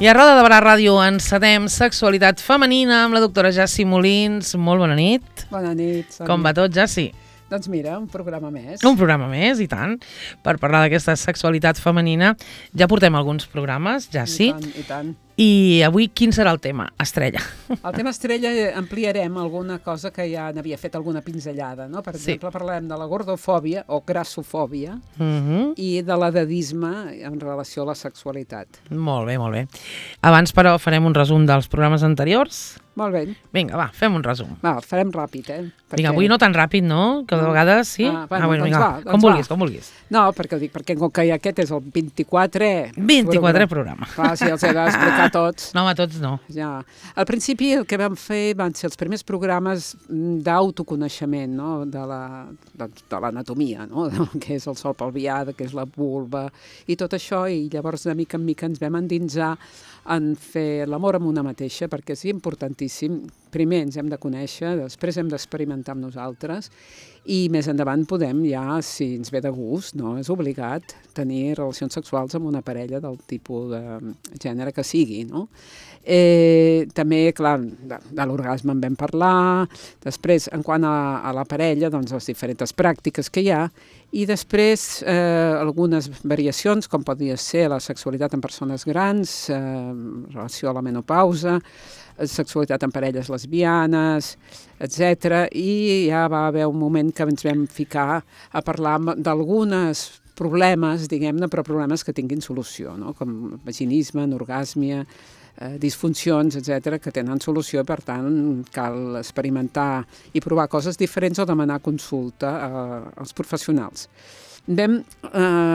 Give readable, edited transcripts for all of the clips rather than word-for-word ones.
I a Roda de Barà Ràdio encetem Sexualitat Femenina amb la doctora Jassi Molins. Molt bona nit. Bona nit, Sònia. Com va tot, Jassi? Doncs mira, un programa més. Un programa més, i tant, per parlar d'aquesta sexualitat femenina. Ja portem alguns programes, Jassi. I tant. I avui quin serà el tema? Estrella. El tema estrella ampliarem alguna cosa que ja n'havia fet alguna pinzellada, no? Per exemple, parlarem de la gordofòbia o grassofòbia i de l'edadisme en relació a la sexualitat. Molt bé, molt bé. Abans, però, farem un resum dels programes anteriors. Molt bé. Vinga, va, fem un resum. Va, farem ràpid, Perquè... Vinga, avui no tan ràpid, no? Que de vegades sí. Bueno, vinga, doncs com vulguis, com vulguis. No, perquè ho dic, perquè com que aquest és el 24è... 24è programa. Clar, si els he d'explicar tots. No, home, tots no. Ja. Al principi el que vam fer van ser els primers programes d'autoconeixement, no? De l'anatomia, no? Que és el sol pelvià, que és la vulva i tot això, i llavors de mica en mica ens vam endinsar en fer l'amor amb una mateixa, perquè és importantíssim. Primer ens hem de conèixer, després hem d'experimentar amb nosaltres i més endavant podem ja, si ens ve de gust, no és obligat, tenir relacions sexuals amb una parella del tipus de gènere que sigui, no? També, clar, de l'orgasme en vam parlar, després, en quant a la parella, doncs les diferents pràctiques que hi ha, i després algunes variacions, com podria ser la sexualitat en persones grans, relació a la menopausa, sexualitat en parelles lesbianes, etc. I ja va haver un moment que ens vam ficar a parlar d'algunes problemes, diguem-ne, però problemes que tinguin solució, no? Com vaginisme, anorgàsmia, disfuncions, etc., que tenen solució, per tant, cal experimentar i provar coses diferents o demanar consulta als professionals. Vam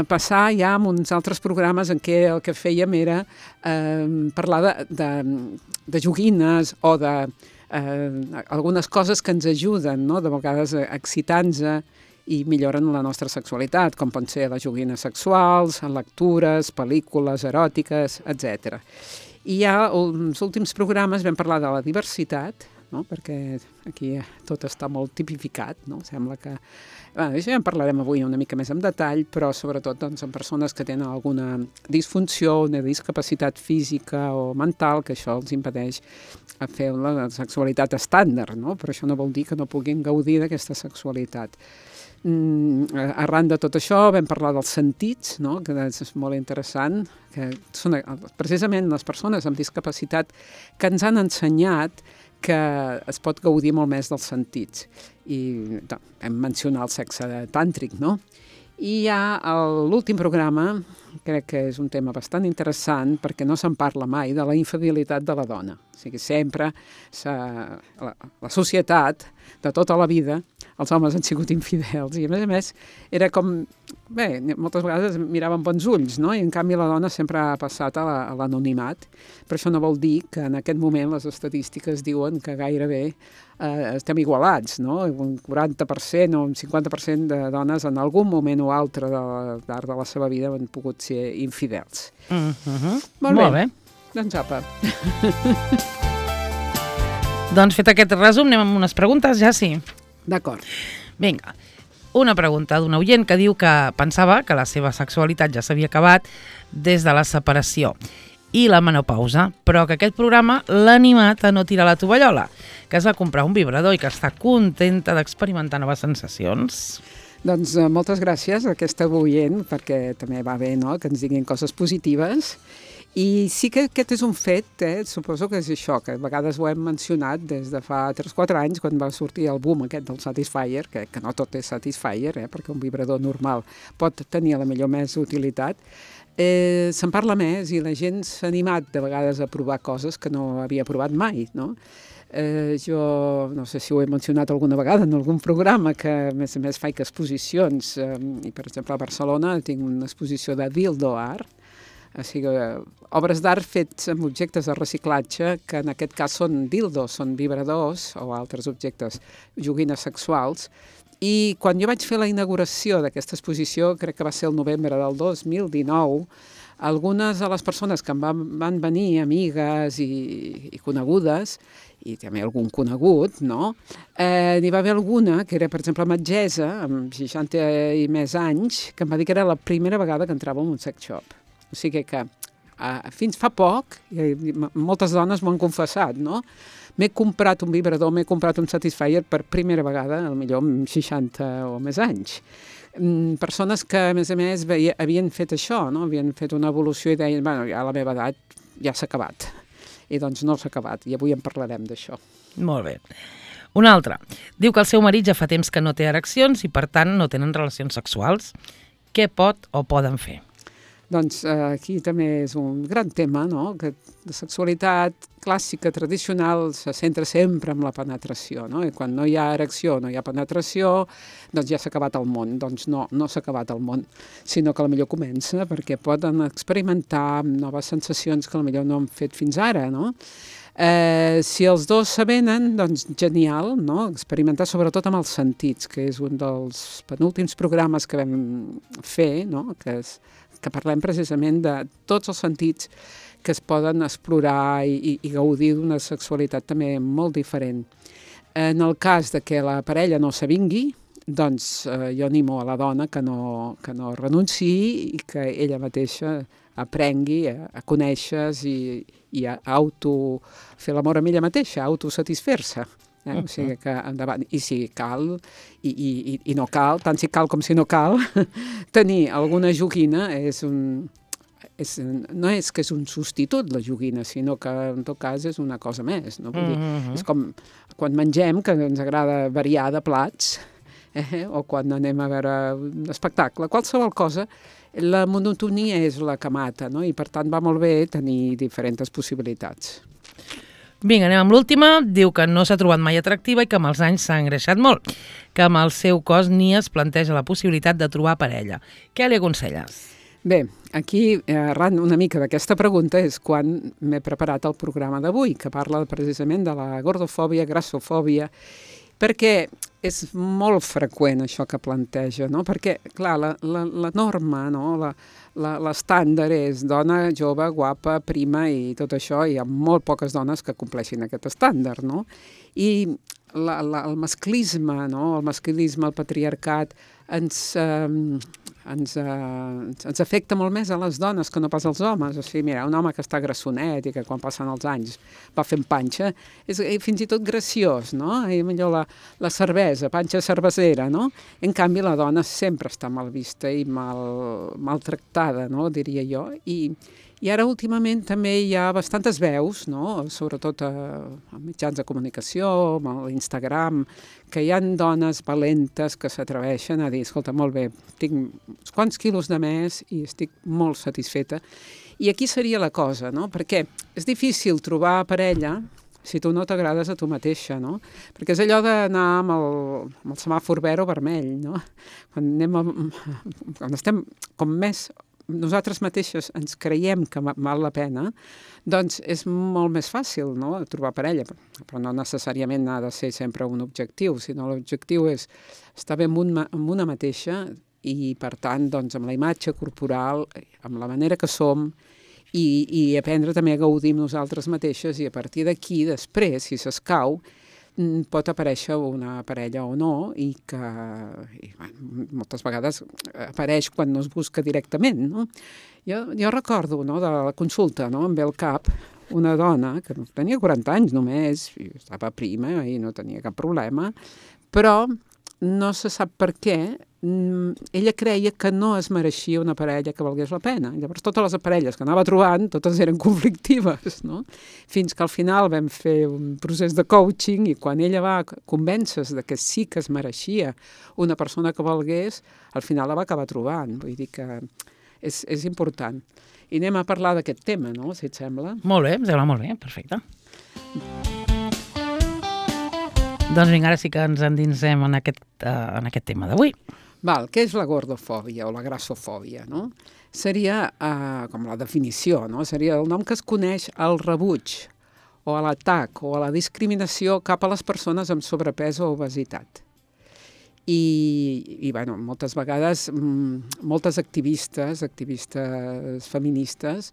passar ja a uns altres programes en què el que fèiem era parlar de joguines o de algunes coses que ens ajuden, no? De vegades excitant-nos i milloren la nostra sexualitat, com poden ser les joguines sexuals, lectures, pel·lícules eròtiques, etc. I ja als últims programes vam parlar de la diversitat, no? Perquè aquí tot està molt tipificat, no? Sembla que... Això ja en parlarem avui una mica més en detall, però sobretot doncs, en persones que tenen alguna disfunció, una discapacitat física o mental, que això els impedeix fer la sexualitat estàndard, no? Però això no vol dir que no puguin gaudir d'aquesta sexualitat. Arran de tot això vam parlar dels sentits, no? Que és molt interessant, que són precisament les persones amb discapacitat que ens han ensenyat que es pot gaudir molt més dels sentits. I hem mencionat el sexe tàntric, no? I ja l'últim programa, crec que és un tema bastant interessant perquè no se'n parla mai de la infidelitat de la dona. O sigui, sempre la societat de tota la vida, els homes han sigut infidels i a més era com, bé, moltes vegades miraven bons ulls, no? I en canvi la dona sempre ha passat a l'anonimat, però això no vol dir que en aquest moment les estadístiques diuen que gairebé estem igualats, no? Un 40% o un 50% de dones en algun moment o altre d'art de la seva vida han pogut ser infidels. Molt bé. Doncs apa. Doncs fet aquest resum, anem amb unes preguntes, ja sí. D'acord. Vinga, una pregunta d'un oient que diu que pensava que la seva sexualitat ja s'havia acabat des de la separació i la menopausa, però que aquest programa l'ha animat a no tirar la tovallola, que es va comprar un vibrador i que està contenta d'experimentar noves sensacions. Doncs moltes gràcies a aquesta oient, perquè també va bé, no?, que ens diguin coses positives. I sí que aquest és un fet, suposo que és això, que a vegades ho hem mencionat des de fa 3-4 anys, quan va sortir el boom aquest del Satisfyer, que no tot és Satisfyer, perquè un vibrador normal pot tenir la millor més utilitat. Se'n parla més i la gent s'ha animat de vegades a provar coses que no havia provat mai, no? Jo no sé si ho he mencionat alguna vegada en algun programa, que a més faig exposicions, i per exemple a Barcelona tinc una exposició de dildo art, o sigui, obres d'art fets amb objectes de reciclatge, que en aquest cas són dildos, són vibradors o altres objectes, joguines sexuals. I quan jo vaig fer la inauguració d'aquesta exposició, crec que va ser el novembre del 2019, algunes de les persones que em van venir, amigues i conegudes, i també algun conegut, no? N'hi va haver alguna que era, per exemple, metgessa, amb 60 i més anys, que em va dir que era la primera vegada que entrava en un sex shop. O sigui que fins fa poc, i moltes dones m'ho han confessat, no? M'he comprat un vibrador, m'he comprat un Satisfyer per primera vegada, potser amb 60 o més anys. Persones que, a més, havien fet això, no? Havien fet una evolució i deien, bueno, ja a la meva edat ja s'ha acabat. I doncs no s'ha acabat, i avui en parlarem d'això. Molt bé. Una altra. Diu que el seu marit ja fa temps que no té ereccions i, per tant, no tenen relacions sexuals. Què pot o poden fer? Doncs aquí també és un gran tema, no? Que la sexualitat clàssica, tradicional, se centra sempre en la penetració, no? I quan no hi ha erecció, no hi ha penetració, doncs ja s'ha acabat el món. Doncs no s'ha acabat el món, sinó que potser comença, perquè poden experimentar noves sensacions que potser no han fet fins ara, no? Si els dos s'avenen, doncs genial, no? Experimentar sobretot amb els sentits, que és un dels penúltims programes que vam fer, no? Que parlem precisament de tots els sentits que es poden explorar i gaudir d'una sexualitat també molt diferent. En el cas de que la parella no s'avingui, doncs jo animo a la dona que no renunciï i que ella mateixa aprengui a conèixer-se i a fer l'amor amb ella mateixa, a autosatisfer-se. O sigui que endavant, i si cal i no cal, tant si cal com si no cal, tenir alguna joguina no és que és un substitut la joguina, sinó que en tot cas és una cosa més, no? Vull dir, és com quan mengem, que ens agrada variar de plats, o quan anem a veure un espectacle, qualsevol cosa, la monotonia és la que mata, no? I per tant va molt bé tenir diferents possibilitats. Vinga, anem amb l'última. Diu que no s'ha trobat mai atractiva i que amb els anys s'ha engreixat molt, que amb el seu cos ni es planteja la possibilitat de trobar parella. Què li aconselles? Bé, aquí, arran una mica d'aquesta pregunta, és quan m'he preparat el programa d'avui, que parla precisament de la gordofòbia, grassofòbia, perquè és molt freqüent això que planteja, no? Perquè, clar, la norma, no? L'estàndard és dona jove, guapa, prima i tot això, i hi ha molt poques dones que compleixin aquest estàndard, no? I el masclisme, no? El masclisme, el patriarcat, ens afecta molt més a les dones que no pas als homes. O sigui, mira, un home que està grassonet i que quan passen els anys va fent panxa, és fins i tot graciós, no? I millor la cervesa, panxa cervesera, no? En canvi, la dona sempre està mal vista i maltractada, no? Diria jo. I ara últimament també hi ha bastantes veus, no? Sobretot a mitjans de comunicació, a l'Instagram, que hi ha dones valentes que s'atreveixen a dir, escolta, molt bé, tinc uns quants quilos de més i estic molt satisfeta. I aquí seria la cosa, no? Perquè és difícil trobar parella si tu no t'agrades a tu mateixa, no? Perquè és allò d'anar amb el semàfor verd o vermell, no? Quan estem com més nosaltres mateixes ens creiem que val la pena, doncs és molt més fàcil, no?, trobar parella, però no necessàriament ha de ser sempre un objectiu, sinó l'objectiu és estar bé amb una mateixa i, per tant, doncs, amb la imatge corporal, amb la manera que som, i aprendre també a gaudir amb nosaltres mateixes, i a partir d'aquí, després, si s'escau, pot aparèixer una parella o no, i que moltes vegades apareix quan no es busca directament, no? Jo recordo, no, de la consulta, no, em ve al cap una dona que tenia 40 anys només, i estava prima i no tenia cap problema, però no se sap per què, ella creia que no es mereixia una parella que valgués la pena. Llavors, totes les parelles que anava trobant, totes eren conflictives, no? Fins que al final vam fer un procés de coaching i quan ella va convèncer-se de que sí que es mereixia una persona que valgués, al final la va acabar trobant. Vull dir que és important. I anem a parlar d'aquest tema, no?, si et sembla. Molt bé, em sembla molt bé, perfecte. Doncs vinga, ara sí que ens endinsem en aquest tema d'avui. Val, què és la gordofòbia o la grassofòbia, no? Seria, com la definició, no? Seria el nom que es coneix al rebuig o a l'atac o a la discriminació cap a les persones amb sobrepès o obesitat. I bueno, moltes vegades, moltes activistes feministes,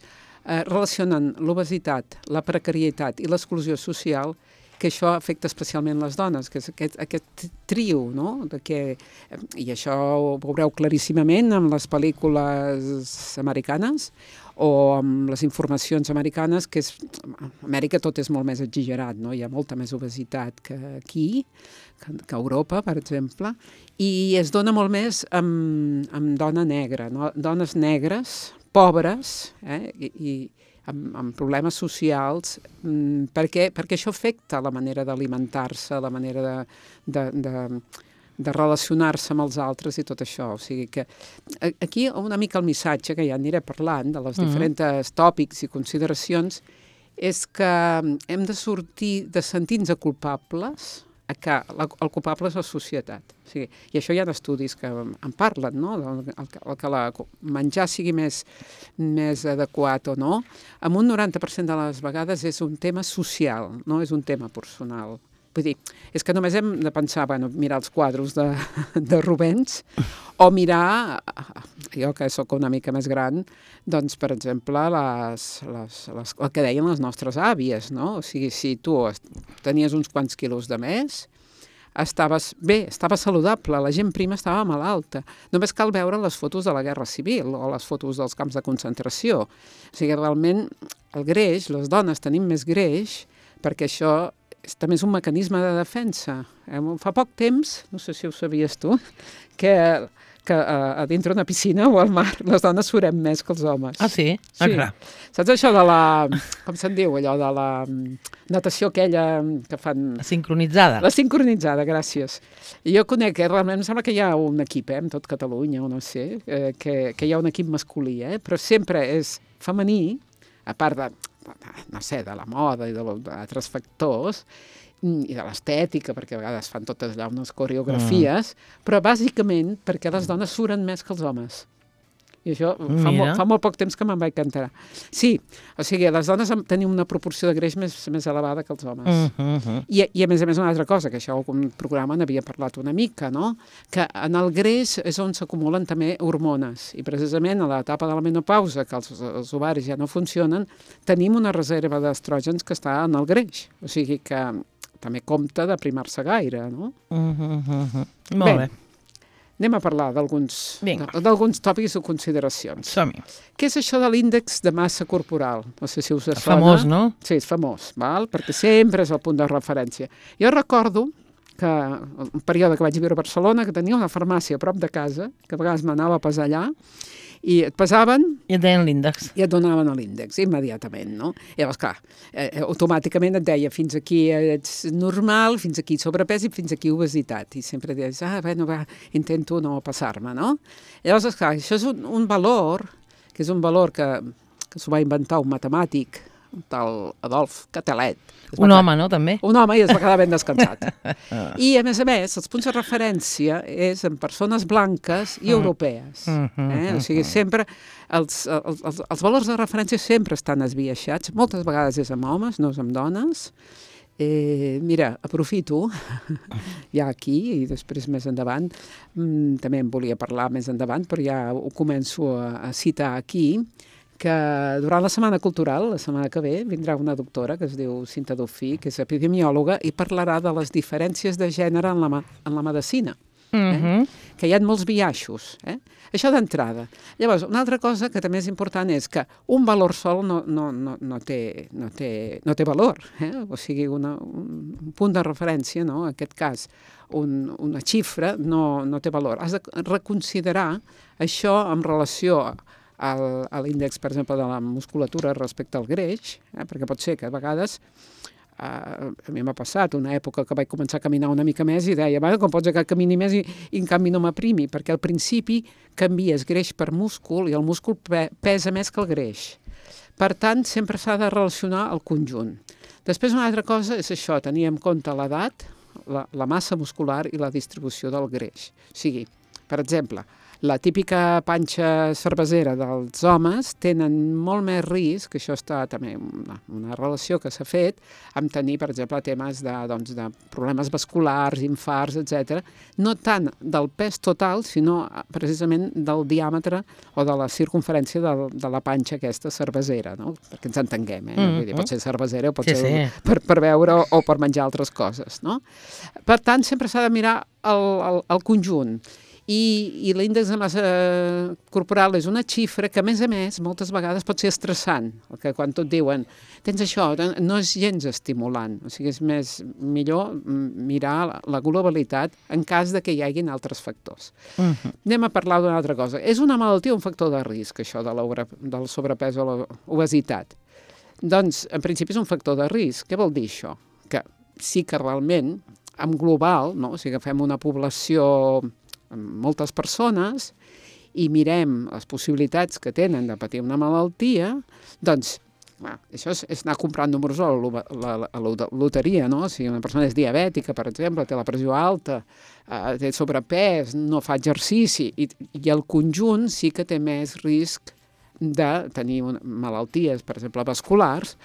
relacionen l'obesitat, la precarietat i l'exclusió social, que això afecta especialment les dones, que és aquest trio, no? I això ho veureu claríssimament en les pel·lícules americanes o amb les informacions americanes, que a Amèrica tot és molt més exagerat, no? Hi ha molta més obesitat que aquí, que a Europa, per exemple, i es dona molt més amb dona negra, no? Dones negres, pobres, i amb problemes socials, perquè això afecta la manera d'alimentar-se, la manera de relacionar-se amb els altres i tot això. O sigui que aquí una mica el missatge, que ja aniré parlant de les diferents tòpics i consideracions, és que hem de sortir de sentir-nos culpables, que el culpable és la societat. O sigui, i això hi ha estudis que en parlen, no? El que menjar sigui més adequat o no, amb un 90% de les vegades és un tema social, no és un tema personal. Vull dir, és que només hem de pensar, mirar els quadres de Rubens o mirar, jo que sóc una mica més gran, doncs, per exemple, el que deien les nostres àvies, no? O sigui, si tu tenies uns quants quilos de més, estaves saludable, la gent prima estava malalta. Només cal veure les fotos de la Guerra Civil o les fotos dels camps de concentració. O sigui, realment, el greix, les dones tenim més greix, perquè això també és un mecanisme de defensa. Fa poc temps, no sé si ho sabies tu, que a dintre d'una piscina o al mar les dones surem més que els homes. Ah, sí? Ah, clar. Saps això de com se'n diu, allò de la natació aquella que fan... La sincronitzada. La sincronitzada, gràcies. I jo conec, realment em sembla que hi ha un equip, en tot Catalunya, o no sé, que hi ha un equip masculí, però sempre és femení, a part de no sé, de la moda i d'altres factors, i de l'estètica, perquè a vegades fan totes allà unes coreografies, però bàsicament perquè les dones suren més que els homes. I això fa molt poc temps que me'n vaig enterar. Sí, o sigui, les dones tenim una proporció de greix més elevada que els homes. I a més una altra cosa, que això un programa n'havia parlat una mica, no? Que en el greix és on s'acumulen també hormones, i precisament a l'etapa de la menopausa, que els ovaris ja no funcionen, tenim una reserva d'estrògens que està en el greix, o sigui que també compta de primar-se gaire, no? Molt bé. Anem a parlar d'alguns tòpics o consideracions. Som-hi. Què és això de l'índex de massa corporal? No sé si us sona. Famós, no? Sí, és famós, val? Perquè sempre és el punt de referència. Jo recordo que un període que vaig viure a Barcelona, que tenia una farmàcia a prop de casa, que a vegades m'anava a pesar allà, i et pesaven... I et deien l'índex. I et donaven l'índex, immediatament, no? I llavors, clar, automàticament et deia fins aquí ets normal, fins aquí sobrepès i fins aquí obesitat. I sempre deies, intento no passar-me, no? I llavors, clar, això és un valor, que és un valor que s'ho va inventar un matemàtic, un tal Adolf Quetelet. Un home, no, també? Un home, i es va quedar ben descansat. I, a més, els punts de referència és en persones blanques i europees. O sigui, sempre els valors de referència sempre estan esbiaixats. Moltes vegades és amb homes, no és amb dones. Mira, aprofito ja aquí i després més endavant, també en volia parlar més endavant, però ja ho començo a citar aquí, que durant la Setmana Cultural, la setmana que ve, vindrà una doctora que es diu Cinta Dofí, que és epidemiòloga, i parlarà de les diferències de gènere en la medicina, que hi ha molts biaixos. Això d'entrada. Llavors, una altra cosa que també és important és que un valor sol no té valor. O sigui, un punt de referència, no? En aquest cas, una xifra no té valor. Has de reconsiderar això en relació a l'índex, per exemple, de la musculatura respecte al greix, perquè pot ser que a vegades, a mi m'ha passat una època que vaig començar a caminar una mica més i deia, com pot ser que camini més i en canvi no m'aprimi, perquè al principi canvies greix per múscul i el múscul pesa més que el greix. Per tant, sempre s'ha de relacionar el conjunt. Després una altra cosa és això, tenir en compte l'edat, la massa muscular i la distribució del greix. O sigui, per exemple, la típica panxa cervesera dels homes tenen molt més risc, que això està també una relació que s'ha fet, amb tenir, per exemple, temes de problemes vasculars, infarts, etc. No tant del pes total, sinó precisament del diàmetre o de la circunferència de la panxa aquesta cervesera, no? Perquè ens entenguem, Vull dir, pot ser cervesera o pot ser per beure o per menjar altres coses, no? Per tant, sempre s'ha de mirar el conjunt. I l'índex de massa corporal és una xifra que, a més, moltes vegades pot ser estressant, que quan tot diuen tens això, no és gens estimulant, o sigui, és millor mirar la globalitat en cas de que hi haguin altres factors. Anem a parlar d'una altra cosa. És una malaltia o un factor de risc, això del sobrepès o l'obesitat? Doncs, en principi, és un factor de risc. Què vol dir això? Que sí que realment, en global, no? O sigui, agafem una població amb moltes persones i mirem les possibilitats que tenen de patir una malaltia, doncs, això és anar comprant números a la loteria, no? Si una persona és diabètica, per exemple, té la pressió alta, té sobrepès, no fa exercici, i el conjunt sí que té més risc de tenir malalties, per exemple, vasculars,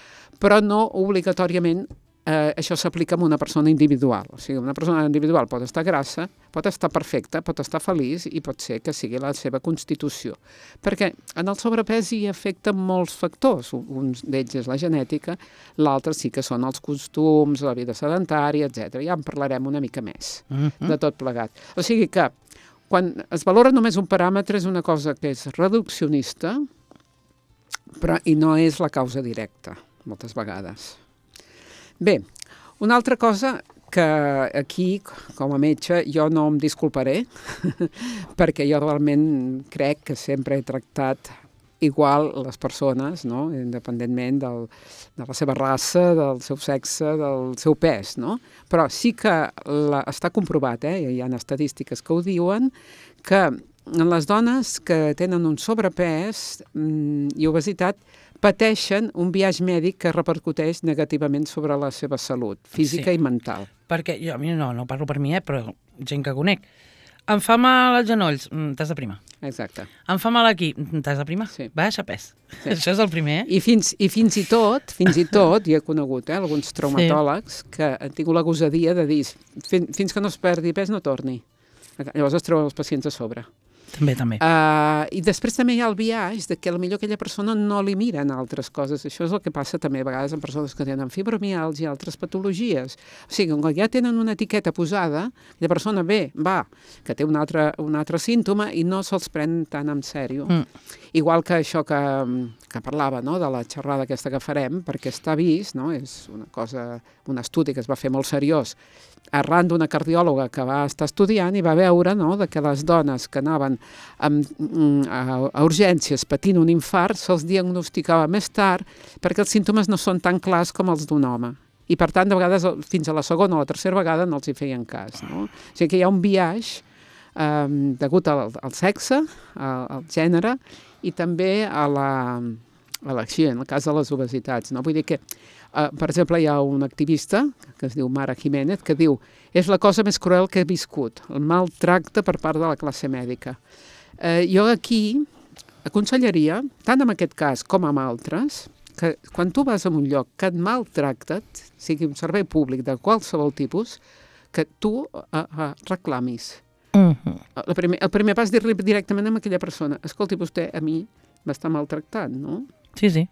però no obligatòriament això s'aplica a una persona individual. O sigui, una persona individual pot estar grassa, pot estar perfecta, pot estar feliç i pot ser que sigui la seva constitució. Perquè en el sobrepès hi afecten molts factors. Un d'ells és la genètica, l'altre sí que són els costums, la vida sedentària, etc. Ja en parlarem una mica més de tot plegat. O sigui que quan es valora només un paràmetre és una cosa que és reduccionista, però i no és la causa directa, moltes vegades. Bé, una altra cosa que aquí, com a metge, jo no em disculparé, perquè jo realment crec que sempre he tractat igual les persones, no? Independentment de la seva raça, del seu sexe, del seu pes, no? Però sí que està comprovat, hi ha estadístiques que ho diuen, que les dones que tenen un sobrepès i obesitat pateixen un biaix mèdic que repercuteix negativament sobre la seva salut física i mental. Perquè jo, no parlo per mi, però gent que conec. Em fa mal als genolls, t'has de primar. Exacte. Em fa mal aquí, t'has de primar. Sí. Baixa pes. Sí. Això és el primer, I fins i tot, hi he conegut alguns traumatòlegs que han tingut la gosadia de dir fins que no es perdi pes no torni. Llavors es treuen els pacients a sobre. També. I després també hi ha el biaix de que potser aquella persona no li miren altres coses. Això és el que passa també a vegades amb persones que tenen fibromialgia i altres patologies. O sigui, quan ja tenen una etiqueta posada, la persona va, que té un altre símptoma i no se'ls pren tan en sèrio. Igual que això que parlava, no?, de la xerrada aquesta que farem, perquè està vist, no?, és un estudi que es va fer molt seriós, arran d'una cardiòloga que va estar estudiant i va veure, no?, que les dones que anaven a urgències patint un infart se'ls diagnosticava més tard perquè els símptomes no són tan clars com els d'un home. I, per tant, de vegades, fins a la segona o la tercera vegada no els hi feien cas, no? O sigui que hi ha un biaix degut al sexe, al gènere, i també a l'acció, en el cas de les obesitats, no? Vull dir que, per exemple, hi ha un activista que es diu Mara Jiménez que diu és la cosa més cruel que he viscut, el maltracte per part de la classe mèdica. Jo aquí aconsellaria, tant en aquest cas com en altres, que quan tu vas a un lloc que et maltracten, sigui un servei públic de qualsevol tipus, que tu reclamis. El primer pas és dir-li directament a aquella persona escolti, vostè a mi m'està maltractant, no? Sí.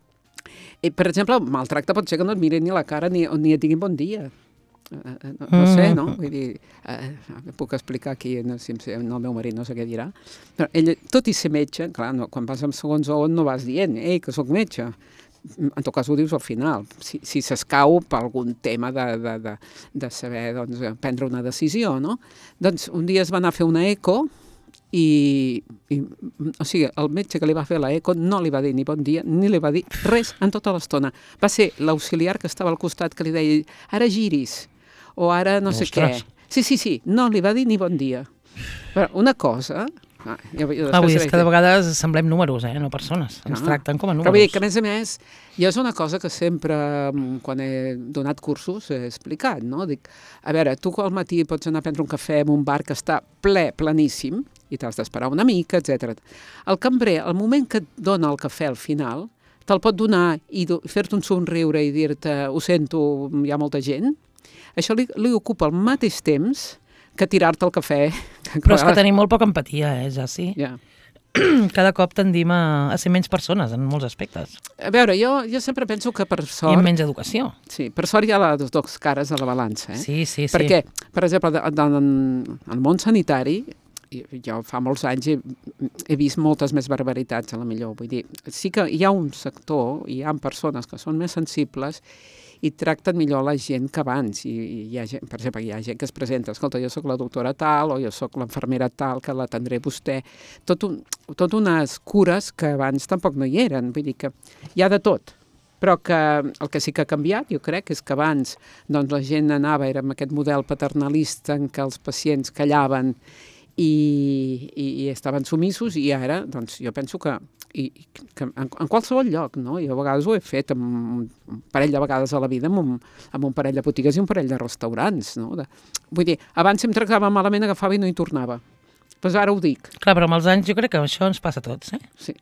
I, per exemple, el maltracte pot ser que no et mirin ni la cara ni et diguin bon dia. No sé, no? Vull dir, puc explicar aquí, no, si el meu marit no sé què dirà, però ell, tot i ser metge, clar, quan vas amb segons on no vas dient, que sóc metge. En tot cas ho dius al final, si s'escau per algun tema de saber, doncs, prendre una decisió, no? Doncs un dia es va anar a fer una eco o sigui, el metge que li va fer la eco no li va dir ni bon dia, ni li va dir res en tota l'estona. Va ser l'auxiliar que estava al costat que li deia ara giris, o ara no sé què. Sí, no li va dir ni bon dia. Però una cosa... Vull dir, és que de vegades semblem números, no persones. Ens tracten com a números. Però vull dir que, a més, jo és una cosa que sempre, quan he donat cursos, he explicat, no? Dic, a veure, tu al matí pots anar a prendre un cafè en un bar que està pleníssim, i t'has d'esperar una mica, etc. El cambrer, al moment que et dona el cafè al final, te'l pot donar i fer-te un somriure i dir-te, ho sento, hi ha molta gent. Això li ocupa al mateix temps que tirar-te el cafè. Però és que tenim molt poca empatia, ja sí. Ja. Cada cop tendim a ser menys persones en molts aspectes. A veure, jo sempre penso que per sort... I amb menys educació. Sí, per sort hi ha les dues cares de la balança. Sí. Perquè, per exemple, en el món sanitari jo fa molts anys he vist moltes més barbaritats, a la millor. Vull dir, sí que hi ha un sector, hi ha persones que són més sensibles i tracten millor la gent que abans. I hi ha gent, per exemple, hi ha gent que es presenta, escolta, jo sóc la doctora tal, o jo sóc l'infermera tal, que l'atendré vostè. Tot unes cures que abans tampoc no hi eren. Vull dir que hi ha de tot. Però que el que sí que ha canviat, jo crec, és que abans doncs, la gent anava, era amb aquest model paternalista en què els pacients callaven i estaven sumissos, i ara, doncs, jo penso que en qualsevol lloc, no? Jo a vegades ho he fet un parell de vegades a la vida amb un parell de botigues i un parell de restaurants, no? Vull dir, abans si em tractava malament agafava i no hi tornava. Doncs ara ho dic. Clar, però amb els anys jo crec que això ens passa a tots, eh? Sí.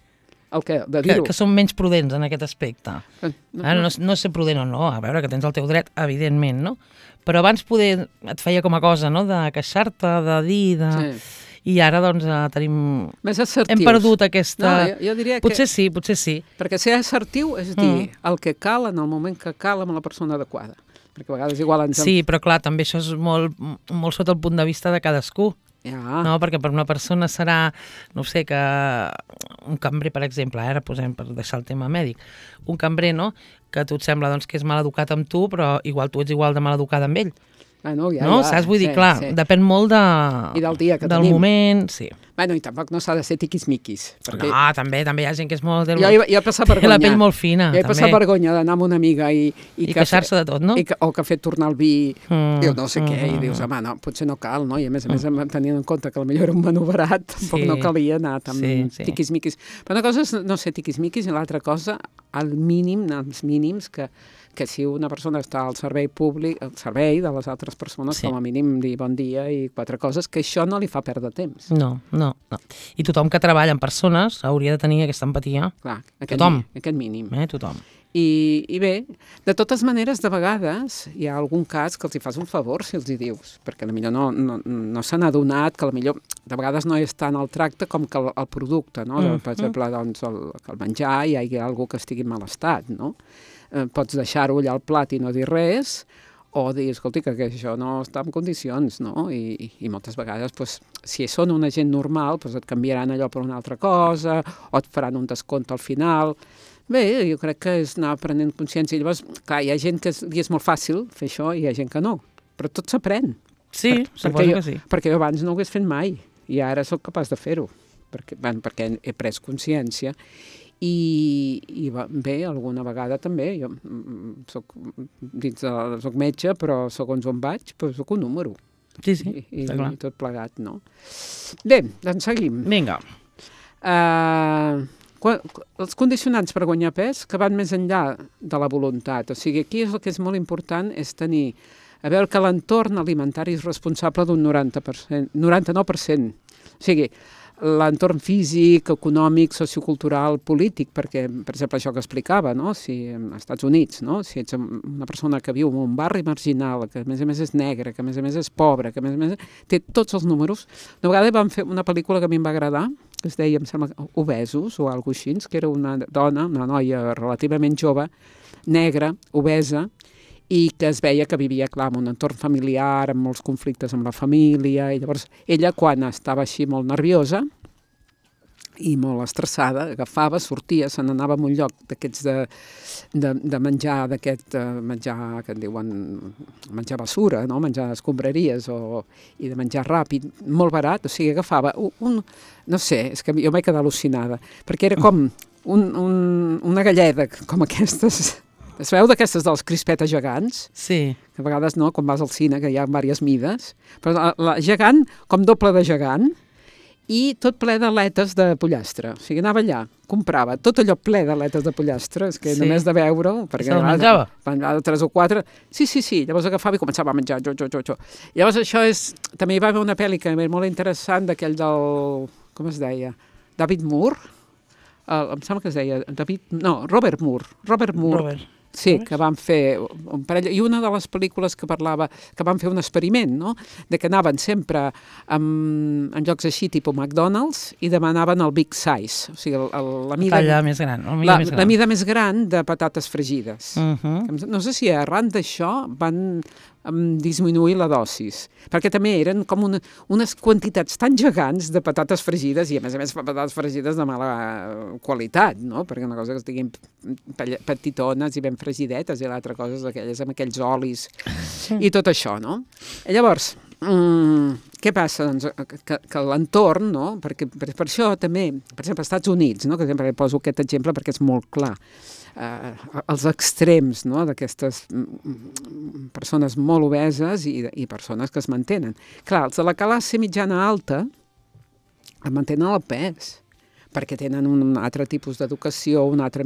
El què? De dir-ho? Que som menys prudents en aquest aspecte. Ara no ser prudent o no, a veure, que tens el teu dret, evidentment, no? Però abans poder et feia com a cosa, no?, de queixar-te, de dir, Sí. I ara, doncs, tenim... Més assertius. Hem perdut aquesta... No, jo diria que... Potser sí. Perquè ser assertiu és dir el que cal en el moment que cal amb la persona adequada. Perquè a vegades igual ens... Sí, però clar, també això és molt sota el punt de vista de cadascú. Ja. No, perquè per una persona serà, no sé, que un cambrer, per exemple, ara posem per deixar el tema mèdic, un cambrer, no?, que a tu et sembla doncs, que és mal educat amb tu, però igual tu ets igual de mal educada amb ell. No, saps? Vull dir, clar, depèn molt I del dia que del tenim. Moment, sí. Bueno, i tampoc no s'ha de ser tiquismiquis. Perquè... No, també hi ha gent que és molt... Jo he passat vergonya. Té la pell molt fina, també. Jo he passat vergonya d'anar amb una amiga i queixar-se de tot, no? O que ha fet tornar el vi, diu no sé què, i dius, home, no, potser no cal, no? I a més, tenint en compte que potser era un menú barat, tampoc no calia anar tan tiquismiquis. Però una cosa és no ser tiquismiquis i l'altra cosa, als mínims, que si una persona està al servei públic, al servei de les altres persones, com a mínim dir bon dia i 4 coses, que això no li fa perdre temps. No. I tothom que treballa amb persones hauria de tenir aquesta empatia. Clar, aquest mínim. Tothom. I bé, de totes maneres, de vegades hi ha algun cas que els hi fas un favor si els hi dius, perquè potser no se n'ha adonat, que potser de vegades no és tant el tracte com que el producte, no? Per exemple, doncs, que el menjar hi hagi algú que estigui en mal estat, no? Pots deixar-ho allà al plat i no dir res, o dir, escolti, que això no està en condicions, no? I moltes vegades, doncs, si són una gent normal, doncs et canviaran allò per una altra cosa, o et faran un descompte al final. Bé, jo crec que és anar prenent consciència. I llavors, clar, hi ha gent que li és molt fàcil fer això i hi ha gent que no, però tot s'aprèn. Sí, suposo que sí. Perquè jo abans no ho hagués fet mai, i ara sóc capaç de fer-ho, perquè he pres consciència. I bé, alguna vegada també, jo soc metge, però segons on vaig, soc un número. Sí, I tot plegat, no? Bé, doncs seguim. Vinga. Els condicionants per guanyar pes que van més enllà de la voluntat. O sigui, aquí el que és molt important és tenir, a veure que l'entorn alimentari és responsable d'un 99%. O sigui, l'entorn físic, econòmic, sociocultural, polític, perquè, per exemple, això que explicava, no? Si als Estats Units, no? Si ets una persona que viu en un barri marginal, que a més és negre, que a més és pobre, que a més té tots els números. Una vegada vam fer una pel·lícula que a mi em va agradar, que es deia, em sembla, Obesos, o alguna cosa així, que era una dona, una noia relativament jove, negra, obesa, i que es veia que vivia, clar, en un entorn familiar, amb molts conflictes amb la família, i llavors ella, quan estava així molt nerviosa i molt estressada, agafava, sortia, se n'anava a un lloc d'aquests de menjar, menjar que en diuen menjar basura, no? Menjar escombraries i de menjar ràpid, molt barat, o sigui, agafava no sé, és que jo m'he quedat al·lucinada, perquè era com una galleda, com aquestes... Es veu d'aquestes dels crispetes gegants? Sí. Que a vegades no, quan vas al cine, que hi ha diverses mides. Però la gegant, com doble de gegant, i tot ple d'aletes de pollastre. O sigui, anava allà, comprava tot allò ple d'aletes de pollastre, és que només de veure-ho... Se'l menjava? Menjava 3 o 4. Sí. Llavors agafava i començava a menjar, jo. Llavors això és... També hi va haver una pel·li que era molt interessant, d'aquell del... Com es deia? David Moore? Em sembla que es deia... Robert Moore. Sí, que van fer un parell... I una de les pel·lícules que parlava, que van fer un experiment, no?, de que anaven sempre en llocs així, tipus McDonald's, i demanaven el big size, o sigui, la mida... La més gran. La mida més gran de patates fregides. No sé si arran d'això van disminuir la dosis, perquè també eren com unes quantitats tan gegants de patates fregides, i a més patates fregides de mala qualitat, no? Perquè una cosa que estiguin petitones i ben fregidetes, i l'altra cosa és aquelles amb aquells olis i tot això, no? I llavors, què passa? Doncs que l'entorn, no? Perquè per això també, per exemple, als Estats Units, no? Que sempre poso aquest exemple perquè és molt clar, els extrems, no? D'aquestes persones molt obeses i persones que es mantenen. Clar, els de la classe mitjana alta es mantenen al pes, perquè tenen un altre tipus d'educació, un altre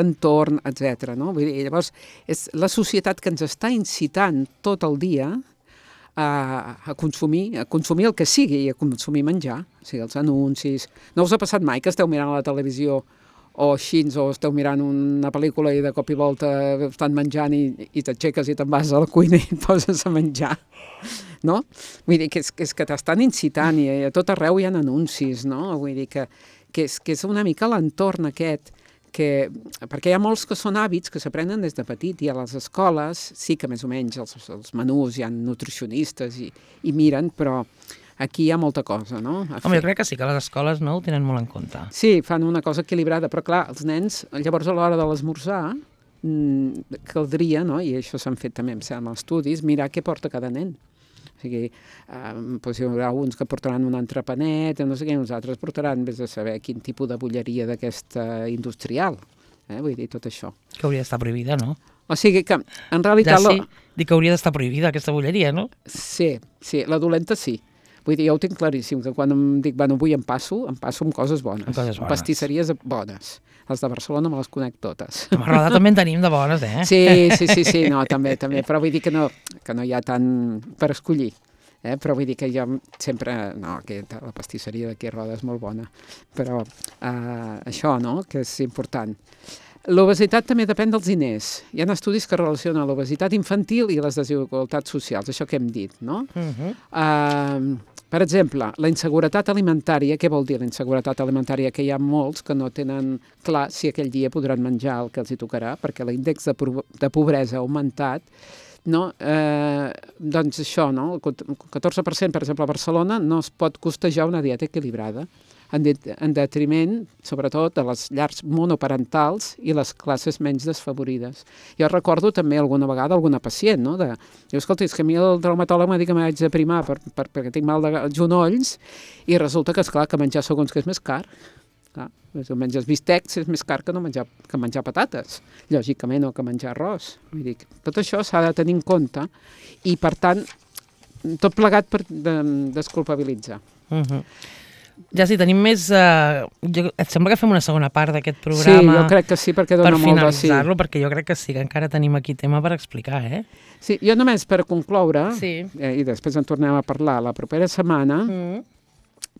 entorn, etc. No? Vull dir, llavors, és la societat que ens està incitant tot el dia a consumir el que sigui, a consumir menjar, o sigui, els anuncis. No us ha passat mai que esteu mirant a la televisió o així, o esteu mirant una pel·lícula i de cop i volta estan menjant i t'aixeques i te'n vas a la cuina i et poses a menjar, no? Vull dir que és que t'estan incitant i a tot arreu hi ha anuncis, no? Vull dir que és una mica l'entorn aquest, perquè hi ha molts que són hàbits que s'aprenen des de petit, i a les escoles sí que més o menys els menús hi ha nutricionistes i miren, però aquí hi ha molta cosa, no? Home, jo crec que sí, que les escoles no ho tenen molt en compte. Sí, fan una cosa equilibrada, però clar, els nens, llavors a l'hora de l'esmorzar, caldria, no? I això s'han fet també, em sembla, estudis, mirar què porta cada nen. O sigui, doncs hi haurà uns que portaran un entrepanet, no sé què, uns altres portaran, vés a saber quin tipus de bulleria d'aquesta industrial. Vull dir, tot això. Que hauria d'estar prohibida, no? O sigui que, en realitat... Ja sí, dic que hauria d'estar prohibida aquesta bulleria, no? Sí, la dolenta sí. Vull dir, jo ho tinc claríssim, que quan em dic, bueno, avui em passo amb coses bones. Amb coses bones. Pastisseries bones. Les de Barcelona me les conec totes. A Roda també en tenim de bones, eh? Sí, no, també, però vull dir que no hi ha tant per escollir. Però vull dir que jo sempre... No, la pastisseria d'aquí a Roda és molt bona. Però això, no?, que és important. L'obesitat també depèn dels diners. Hi ha estudis que relacionen l'obesitat infantil i les desigualtats socials, això que hem dit, no? Per exemple, la inseguretat alimentària, què vol dir la inseguretat alimentària? Que hi ha molts que no tenen clar si aquell dia podran menjar el que els hi tocarà, perquè l'índex de pobresa ha augmentat, no? Doncs això, no? El 14%, per exemple, a Barcelona no es pot costejar una dieta equilibrada, en detriment, sobretot, de les llars monoparentals i les classes menys desfavorides. Jo recordo també alguna vegada alguna pacient, no? Diu, escolta, és que a mi el traumatòleg m'ha dit que m'haig de primar perquè tinc mal de genolls, i resulta que, esclar, que menjar segons que és més car. Clar, si menges bistecs és més car que menjar patates, lògicament, o que menjar arròs. Vull dir, tot això s'ha de tenir en compte i, per tant, tot plegat per desculpabilitzar. Ja sí, tenim més... et sembla que fem una segona part d'aquest programa? Sí, jo crec que sí, perquè dona molt de sí. Per finalitzar-lo, perquè jo crec que sí, que encara tenim aquí tema per explicar, eh? Sí, jo només per concloure, i després en tornem a parlar la propera setmana,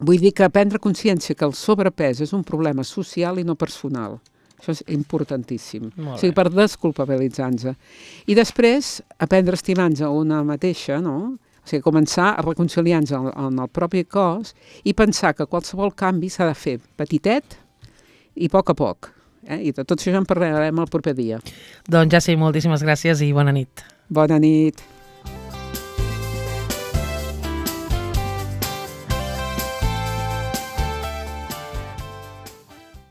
vull dir que prendre consciència que el sobrepès és un problema social i no personal. Això és importantíssim. O sigui, per desculpabilitzar-nos. I després, aprendre a estimar-nos a una mateixa, no?, o sigui, començar a reconciliar-nos en el propi cos i pensar que qualsevol canvi s'ha de fer petitet i a poc. I de tot això ja en parlarem el proper dia. Doncs ja sí, moltíssimes gràcies i bona nit. Bona nit.